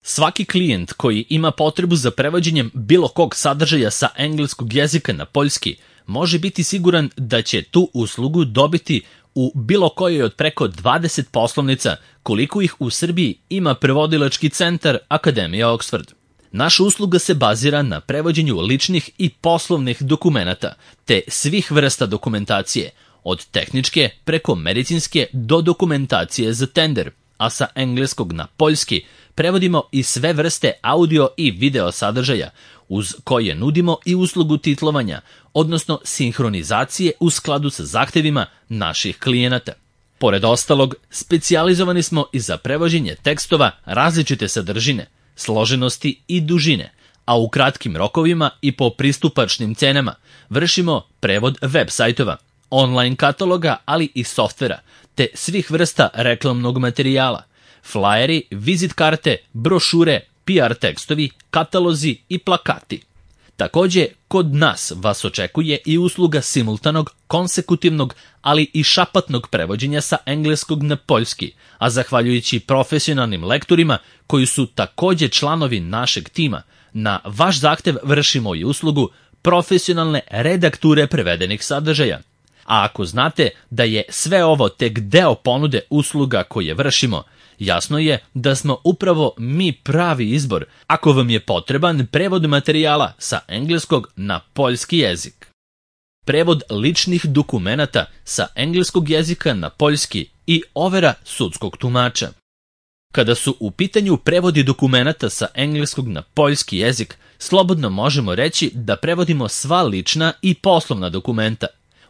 Svaki klijent koji ima potrebu za prevođenjem bilo kog sadržaja sa engleskog jezika na poljski može biti siguran da će tu uslugu dobiti u bilo kojoj od preko 20 poslovnica koliko ih u Srbiji ima prevodilački centar Akademija Oxford. Naša usluga se bazira na prevođenju ličnih i poslovnih dokumenata, te svih vrsta dokumentacije, od tehničke preko medicinske do dokumentacije za tender, a sa engleskog na poljski prevodimo i sve vrste audio i video sadržaja, uz koje nudimo i uslugu titlovanja, odnosno sinhronizacije u skladu sa zahtevima naših klijenata. Pored ostalog, specijalizovani smo i za prevođenje tekstova različite sadržine, složenosti i dužine, a u kratkim rokovima i po pristupačnim cenama vršimo prevod web sajtova, online kataloga, ali i softvera, te svih vrsta reklamnog materijala, flajeri, vizit karte, brošure, PR tekstovi, katalozi i plakati. Takođe, kod nas vas očekuje i usluga simultanog, konsekutivnog, ali i šapatnog prevođenja sa engleskog na poljski, a zahvaljujući profesionalnim lektorima koji su takođe članovi našeg tima, na vaš zahtev vršimo i uslugu profesionalne redakture prevedenih sadržaja. A ako znate da je sve ovo tek deo ponude usluga koje vršimo, jasno je da smo upravo mi pravi izbor ako vam je potreban prevod materijala sa engleskog na poljski jezik. Prevod ličnih dokumenata sa engleskog jezika na poljski i overa sudskog tumača. Kada su u pitanju prevodi dokumenata sa engleskog na poljski jezik, slobodno možemo reći da prevodimo sva lična i poslovna dokumenta.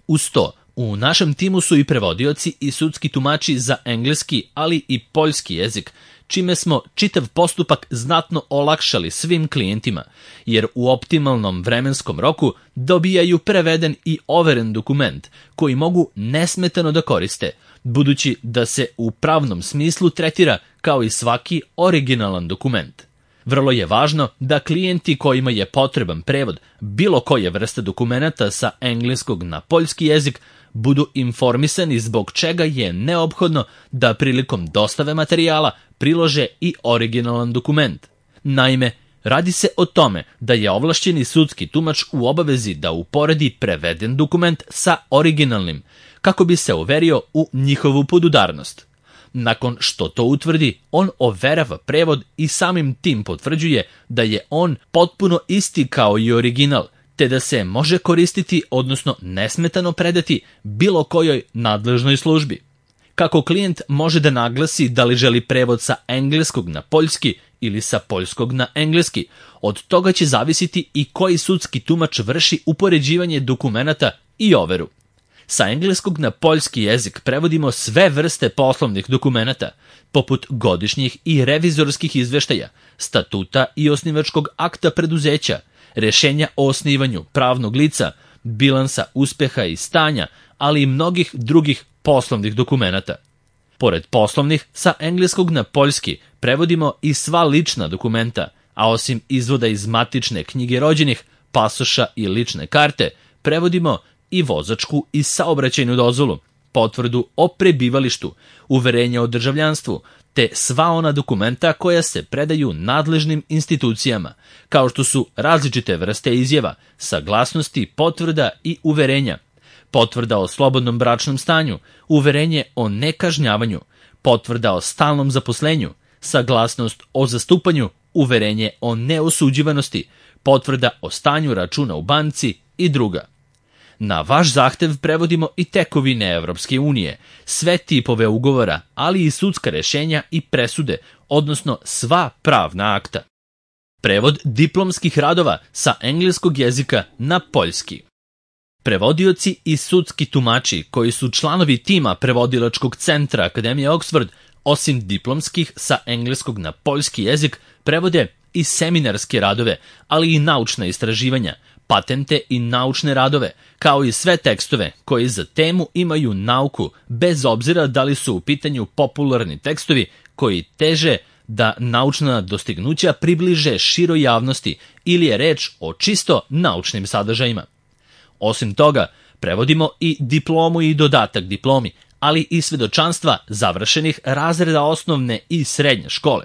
Uz to, u našem timu su i prevodioci i sudski tumači za engleski, ali i poljski jezik, čime smo čitav postupak znatno olakšali svim klijentima, jer u optimalnom vremenskom roku dobijaju preveden i overen dokument koji mogu nesmetano da koriste, budući da se u pravnom smislu tretira kao i svaki originalan dokument. Vrlo je važno da klijenti kojima je potreban prevod bilo koje vrste dokumenata sa engleskog na poljski jezik budu informisani zbog čega je neophodno da prilikom dostave materijala prilože i originalan dokument. Naime, radi se o tome da je ovlašćeni sudski tumač u obavezi da uporedi preveden dokument sa originalnim, kako bi se uverio u njihovu podudarnost. Nakon što to utvrdi, on overava prevod i samim tim potvrđuje da je on potpuno isti kao i original, te da se može koristiti, odnosno nesmetano predati bilo kojoj nadležnoj službi. Kako klijent može da naglasi da li želi prevod sa engleskog na poljski ili sa poljskog na engleski, od toga će zavisiti i koji sudski tumač vrši upoređivanje dokumenata i overu. Sa engleskog na poljski jezik prevodimo sve vrste poslovnih dokumenata, poput godišnjih i revizorskih izveštaja, statuta i osnivačkog akta preduzeća, rešenja o osnivanju pravnog lica, bilansa uspeha i stanja, ali i mnogih drugih poslovnih dokumenata. Pored poslovnih, sa engleskog na poljski prevodimo i sva lična dokumenta, a osim izvoda iz matične knjige rođenih, pasoša i lične karte, prevodimo i vozačku i saobraćajnu dozvolu, potvrdu o prebivalištu, uverenje o državljanstvu, te sva ona dokumenta koja se predaju nadležnim institucijama, kao što su različite vrste izjava, saglasnosti, potvrda i uverenja, potvrda o slobodnom bračnom stanju, uverenje o nekažnjavanju, potvrda o stalnom zaposlenju, saglasnost o zastupanju, uverenje o neosuđivanosti, potvrda o stanju računa u banci i druga. Na vaš zahtev prevodimo i tekovine Evropske unije, sve tipove ugovora, ali i sudska rešenja i presude, odnosno sva pravna akta. Prevod diplomskih radova sa engleskog jezika na poljski. Prevodioci i sudski tumači koji su članovi tima prevodilačkog centra Akademije Oxford, osim diplomskih sa engleskog na poljski jezik, prevode i seminarske radove, ali i naučna istraživanja, patente i naučne radove, kao i sve tekstove koji za temu imaju nauku, bez obzira da li su u pitanju popularni tekstovi koji teže da naučna dostignuća približe široj javnosti ili je reč o čisto naučnim sadržajima. Osim toga, prevodimo i diplomu i dodatak diplomi, ali i svedočanstva završenih razreda osnovne i srednje škole.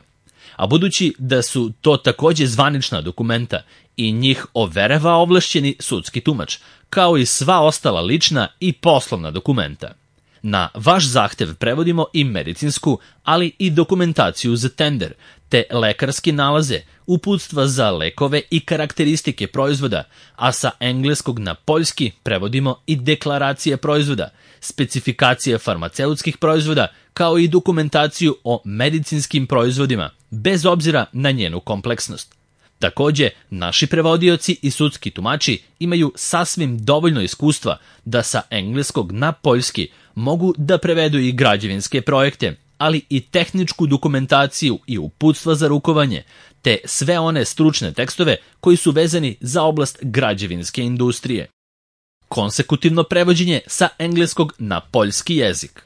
A budući da su to takođe zvanična dokumenta i njih overava ovlašćeni sudski tumač, kao i sva ostala lična i poslovna dokumenta. Na vaš zahtev prevodimo i medicinsku, ali i dokumentaciju za tender, te lekarske nalaze, uputstva za lekove i karakteristike proizvoda, a sa engleskog na poljski prevodimo i deklaracije proizvoda, specifikacije farmaceutskih proizvoda, kao i dokumentaciju o medicinskim proizvodima, bez obzira na njenu kompleksnost. Takođe, naši prevodioci i sudski tumači imaju sasvim dovoljno iskustva da sa engleskog na poljski mogu da prevedu i građevinske projekte, ali i tehničku dokumentaciju i uputstva za rukovanje, te sve one stručne tekstove koji su vezani za oblast građevinske industrije. Konsekutivno prevođenje sa engleskog na poljski jezik.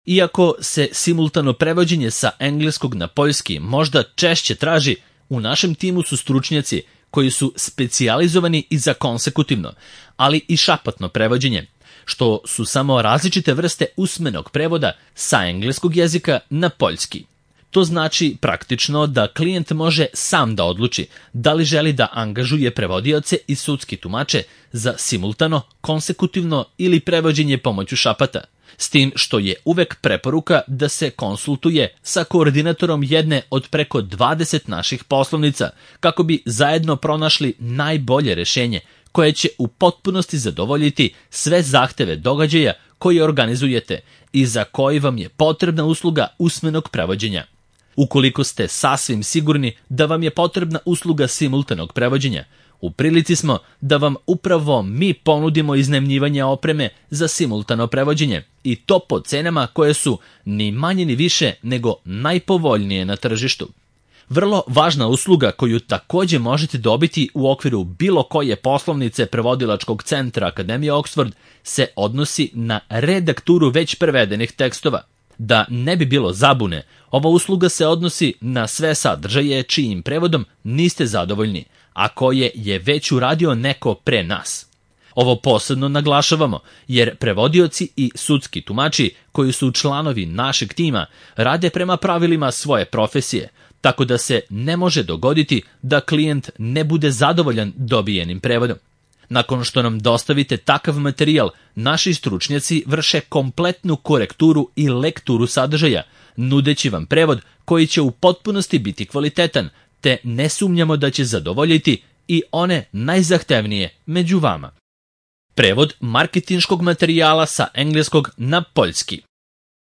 Iako se simultano prevođenje sa engleskog na poljski možda češće traži, u našem timu su stručnjaci koji su specijalizovani i za konsekutivno, ali i šapatno prevođenje, što su samo različite vrste usmenog prevoda sa engleskog jezika na poljski. To znači praktično da klijent može sam da odluči da li želi da angažuje prevodioce i sudski tumače za simultano, konsekutivno ili prevođenje pomoću šapata, s tim što je uvek preporuka da se konsultuje sa koordinatorom jedne od preko 20 naših poslovnica kako bi zajedno pronašli najbolje rešenje koje će u potpunosti zadovoljiti sve zahteve događaja koje organizujete i za koji vam je potrebna usluga usmenog prevođenja. Ukoliko ste sasvim sigurni da vam je potrebna usluga simultanog prevođenja, u prilici smo da vam upravo mi ponudimo iznajmljivanje opreme za simultano prevođenje i to po cenama koje su ni manje ni više nego najpovoljnije na tržištu. Vrlo važna usluga koju takođe možete dobiti u okviru bilo koje poslovnice prevodilačkog centra Akademije Oxford se odnosi na redakturu već prevedenih tekstova. Da ne bi bilo zabune, ova usluga se odnosi na sve sadržaje čijim prevodom niste zadovoljni, a koje je već uradio neko pre nas. Ovo posebno naglašavamo, jer prevodioci i sudski tumači koji su članovi našeg tima rade prema pravilima svoje profesije, tako da se ne može dogoditi da klijent ne bude zadovoljan dobijenim prevodom. Nakon što nam dostavite takav materijal, naši stručnjaci vrše kompletnu korekturu i lekturu sadržaja, nudeći vam prevod koji će u potpunosti biti kvalitetan, te ne sumnjamo da će zadovoljiti i one najzahtevnije među vama. Prevod marketinškog materijala sa engleskog na poljski.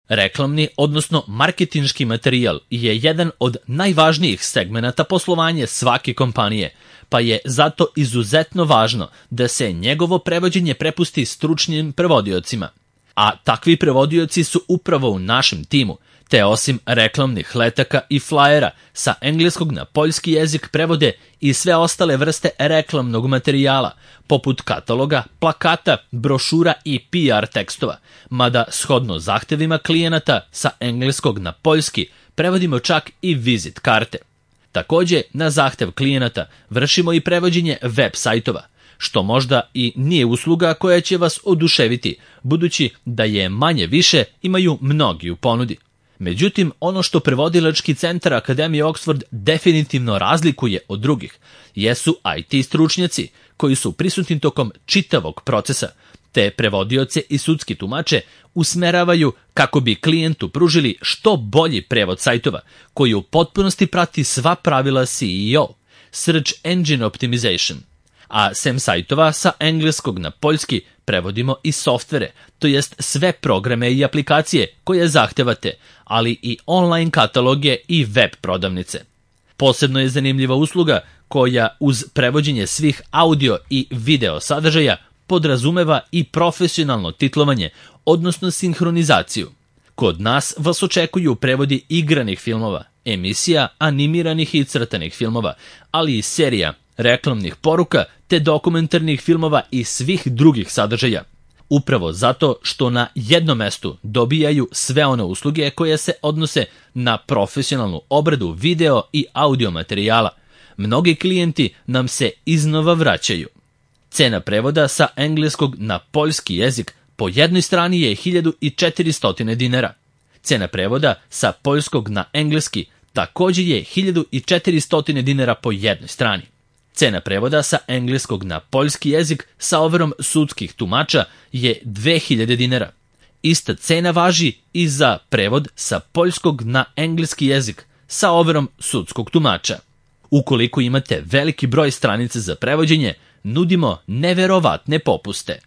Reklamni, odnosno marketinški materijal je jedan od najvažnijih segmenata poslovanja svake kompanije, pa je zato izuzetno važno da se njegovo prevođenje prepusti stručnim prevodiocima. A takvi prevodioci su upravo u našem timu, te osim reklamnih letaka i flajera sa engleskog na poljski jezik prevode i sve ostale vrste reklamnog materijala, poput kataloga, plakata, brošura i PR tekstova, mada shodno zahtevima klijenata sa engleskog na poljski prevodimo čak i vizit karte. Takođe, na zahtev klijenata vršimo i prevođenje web sajtova, što možda i nije usluga koja će vas oduševiti, budući da je manje više imaju mnogi u ponudi. Međutim, ono što prevodilački centar Akademije Oxford definitivno razlikuje od drugih jesu IT stručnjaci koji su prisutni tokom čitavog procesa, te prevodioce i sudski tumače usmeravaju kako bi klijentu pružili što bolji prevod sajtova koji u potpunosti prati sva pravila SEO, Search Engine Optimization. A sem sajtova sa engleskog na poljski prevodimo i softvere, to jest sve programe i aplikacije koje zahtevate, ali i online kataloge i web prodavnice. Posebno je zanimljiva usluga koja uz prevođenje svih audio i video sadržaja podrazumeva i profesionalno titlovanje, odnosno sinhronizaciju. Kod nas vas očekuju prevodi igranih filmova, emisija, animiranih i crtanih filmova, ali i serija, reklamnih poruka te dokumentarnih filmova i svih drugih sadržaja. Upravo zato što na jednom mestu dobijaju sve one usluge koje se odnose na profesionalnu obradu video i audio materijala. Mnogi klijenti nam se iznova vraćaju. Cena prevoda sa engleskog na poljski jezik po jednoj strani je 1400 dinara. Cena prevoda sa poljskog na engleski također je 1400 dinara po jednoj strani. Cena prevoda sa engleskog na poljski jezik sa overom sudskih tumača je 2000 dinara. Ista cena važi i za prevod sa poljskog na engleski jezik sa overom sudskog tumača. Ukoliko imate veliki broj stranica za prevođenje, nudimo neverovatne popuste.